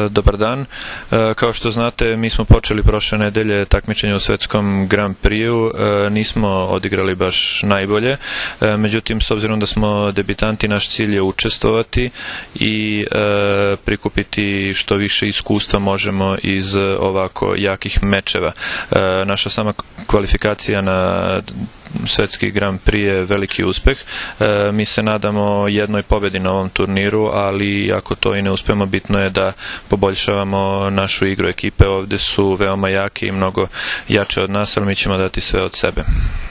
Dobar dan. Kao što znate, mi smo počeli prošle nedelje takmičenje u svetskom Grand Prix-u. Nismo odigrali baš najbolje. Međutim, s obzirom da smo debitanti, naš cilj je učestvovati i prikupiti što više iskustva možemo iz ovako jakih mečeva. Naša sama kvalifikacija na svetski Grand Prix je veliki uspeh. Mi se nadamo jednoj pobedi na ovom turniru, ali ako to i ne uspemo, bitno je da poboljšavamo našu igru. Ekipe ovde su veoma jake i mnogo jače od nas, ali mi ćemo dati sve od sebe.